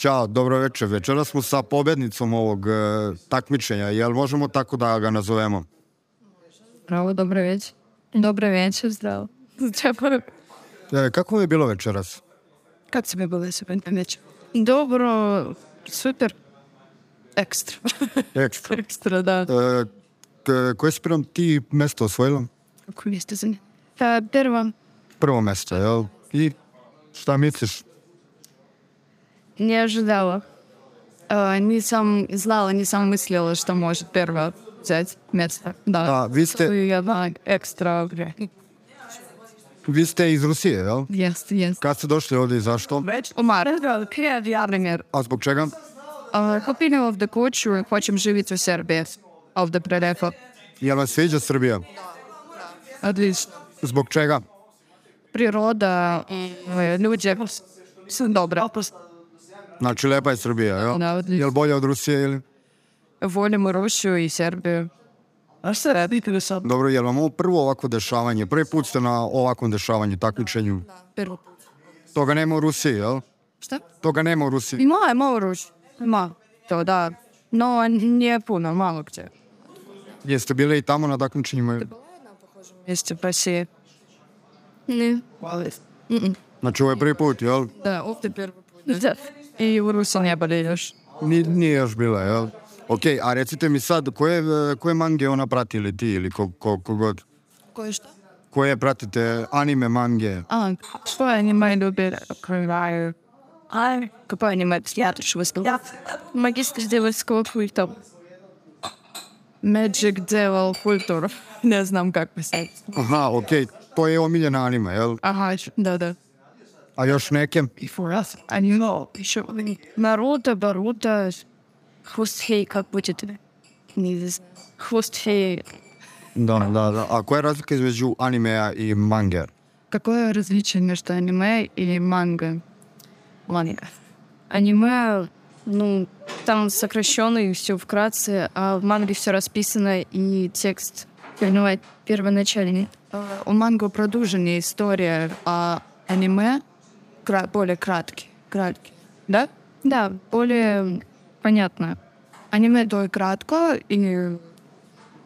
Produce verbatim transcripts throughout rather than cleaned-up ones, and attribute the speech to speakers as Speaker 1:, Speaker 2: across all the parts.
Speaker 1: Ćao, dobro večer. Večera smo sa pobednicom ovog e, takmičenja. Jel možemo tako da ga nazovemo?
Speaker 2: Bravo, dobro večer. Dobro večer, zdravo.
Speaker 1: E, kako vam je bilo večeras?
Speaker 2: Kako si mi bilo večer? Dobro, super. Ekstra.
Speaker 1: Ekstra.
Speaker 2: Ekstra, da.
Speaker 1: E, k- koje si prvom ti mesto osvojila?
Speaker 2: Kako mjesto za nje? Pa, prvo.
Speaker 1: Prvo mesto, jel? I šta misliš?
Speaker 2: Не ожидала. Uh, nisam znala, nisam mislila što može prva взять mjesto. Da.
Speaker 1: A, vi ste-
Speaker 2: To je jedna ekstra vre.
Speaker 1: Vi ste iz Rusije, jel?
Speaker 2: Jest, jest.
Speaker 1: Kad ste došli ovdje i zašto?
Speaker 2: Umar, например,
Speaker 1: A zbog čega?
Speaker 2: uh, kupila ovdje kuću i hoćem živjeti u Srbiji. Ovdje prelepo.
Speaker 1: Jel vam sviđa Srbija?
Speaker 2: Odlično.
Speaker 1: Zbog čega?
Speaker 2: Priroda, uh, ljudi su dobra.
Speaker 1: Znači, lepa je Srbija, jel?
Speaker 2: Da, odlično.
Speaker 1: Jel bolje od Rusije ili?
Speaker 2: Volimo Rusiju i Srbiju. A šta radite do sad?
Speaker 1: Dobro, jel vam ovo prvo ovako dešavanje? Prvi put ste na ovakvom dešavanju, takmičenju?
Speaker 2: Prvo.
Speaker 1: Toga nema u Rusiji, jel?
Speaker 2: Šta?
Speaker 1: Toga nema u Rusiji.
Speaker 2: Ima, ima u Rusiji. Ima. To da. No, nije puno, malo gdje.
Speaker 1: Jeste bili i tamo na takmičenjima?
Speaker 2: Jeste pa si... Ne.
Speaker 1: Znači, ovo je prvi put, jel?
Speaker 2: Da, ovdje prvo put. Da. I u Rusiji ne boli još.
Speaker 1: Ni, nije još bila, jel? Ok, a recite mi sad, koje, koje mange ona prati ili ti ili ko, ko, kogod?
Speaker 2: Koje šta?
Speaker 1: Koje pratite anime, mange?
Speaker 2: A, što oni imaju ljubi krivaju? A, kako oni imaju prijateljstvo s ja. Magistar devilskog kulta. Magic Devil kultur. Ne znam kako bi sad.
Speaker 1: Aha, ok, to je omiljena anime, jel?
Speaker 2: Aha, da, da.
Speaker 1: A još neke?
Speaker 2: Before us. A you know, еще Наруто, Боруто, Хвост Феи, как будет? Не знаю. Хвост Феи.
Speaker 1: Da, da, da. A koja je razlika između animea i mange?
Speaker 2: Какое различие между аниме и манго? Манго. Аниме, ну, там сокращенно и все вкратце, а в манге все расписано и текст понимать первоначальный. У манго продолженная история, а аниме кра- более краткий. краткий. Да? Да, более понятно. Аниме то и кратко, и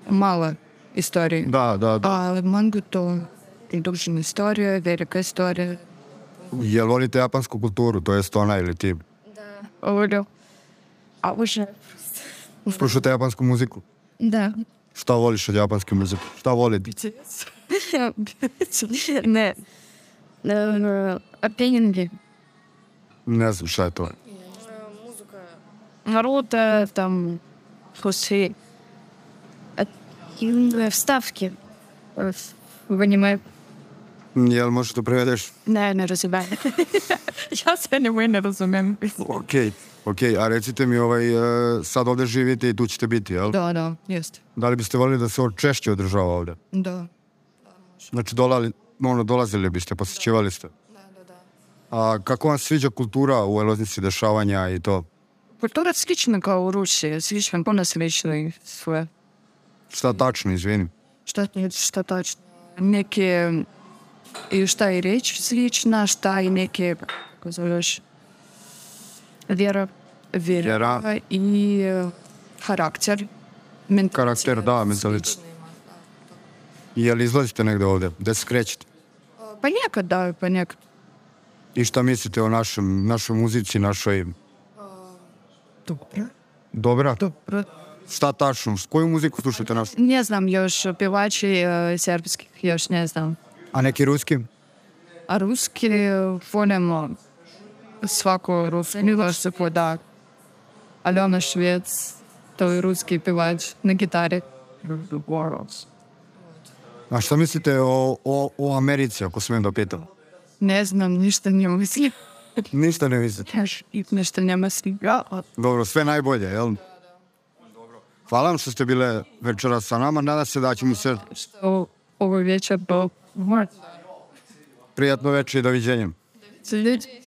Speaker 2: мало историй.
Speaker 1: Da, da, da.
Speaker 2: А манго то продолженная история, великая история.
Speaker 1: Jel volite japansku kulturu, to jest ona ili ti?
Speaker 2: Волю. А уже...
Speaker 1: Slušate japansku muziku?
Speaker 2: Да.
Speaker 1: Šta voliš od japanske muzike? Šta volite?
Speaker 2: Не. Опенинги.
Speaker 1: Ne znam šta je to.
Speaker 2: Наруто, там, Хуси. Вставки в аниме.
Speaker 1: Jel možeš to prevedeš?
Speaker 2: Ne, ne razumijem. Ja se aниме ne razumijem.
Speaker 1: Ok, ok, a recite mi, ovaj, e, sad ovdje živite i tu ćete biti, jel?
Speaker 2: Da, da, jest.
Speaker 1: Da li biste volili da se ovo češće održava ovdje?
Speaker 2: Da.
Speaker 1: Znači, dolali, ono, dolazili biste, posjećivali ste?
Speaker 2: Da, da, da.
Speaker 1: A kako vam sviđa kultura u Loznici, dešavanja i to?
Speaker 2: Культура слична kao u Rusiji, слишком puno slično i sve.
Speaker 1: Šta tačno, izvinim?
Speaker 2: Šta, šta tačno? Neke, i šta i reč slična, šta i neke, kako zoveš, vjera, vjera,
Speaker 1: Vjera.
Speaker 2: i e, karakter. Mentalitet.
Speaker 1: Karakter, da, mentalitet. Jel izlazite negdje ovdje? Gde se krećete?
Speaker 2: Pa nekad da, pa nekad.
Speaker 1: I šta mislite o našem, našoj muzici, našoj...
Speaker 2: Dobro.
Speaker 1: Dobra?
Speaker 2: Dobro.
Speaker 1: Šta tačno? Koju muziku slušate našu?
Speaker 2: Ne znam još pevači e, srpskih, još ne znam.
Speaker 1: A neki ruski?
Speaker 2: A ruski volimo svako ruski se poda. Aljona Švec, to je ruski pevač na gitari.
Speaker 1: A šta mislite o, o, o Americi, ako smijem da pitam?
Speaker 2: Ne znam, ništa ne mislim.
Speaker 1: Ništa ne mislite.
Speaker 2: I ništa ne mislim.
Speaker 1: Dobro, sve najbolje, jel? Hvala vam što ste bile večera sa nama. Nadam se da ćemo se...
Speaker 2: Što ovo večer bo...
Speaker 1: Prijatno večer i doviđenjem.
Speaker 2: Ljudi.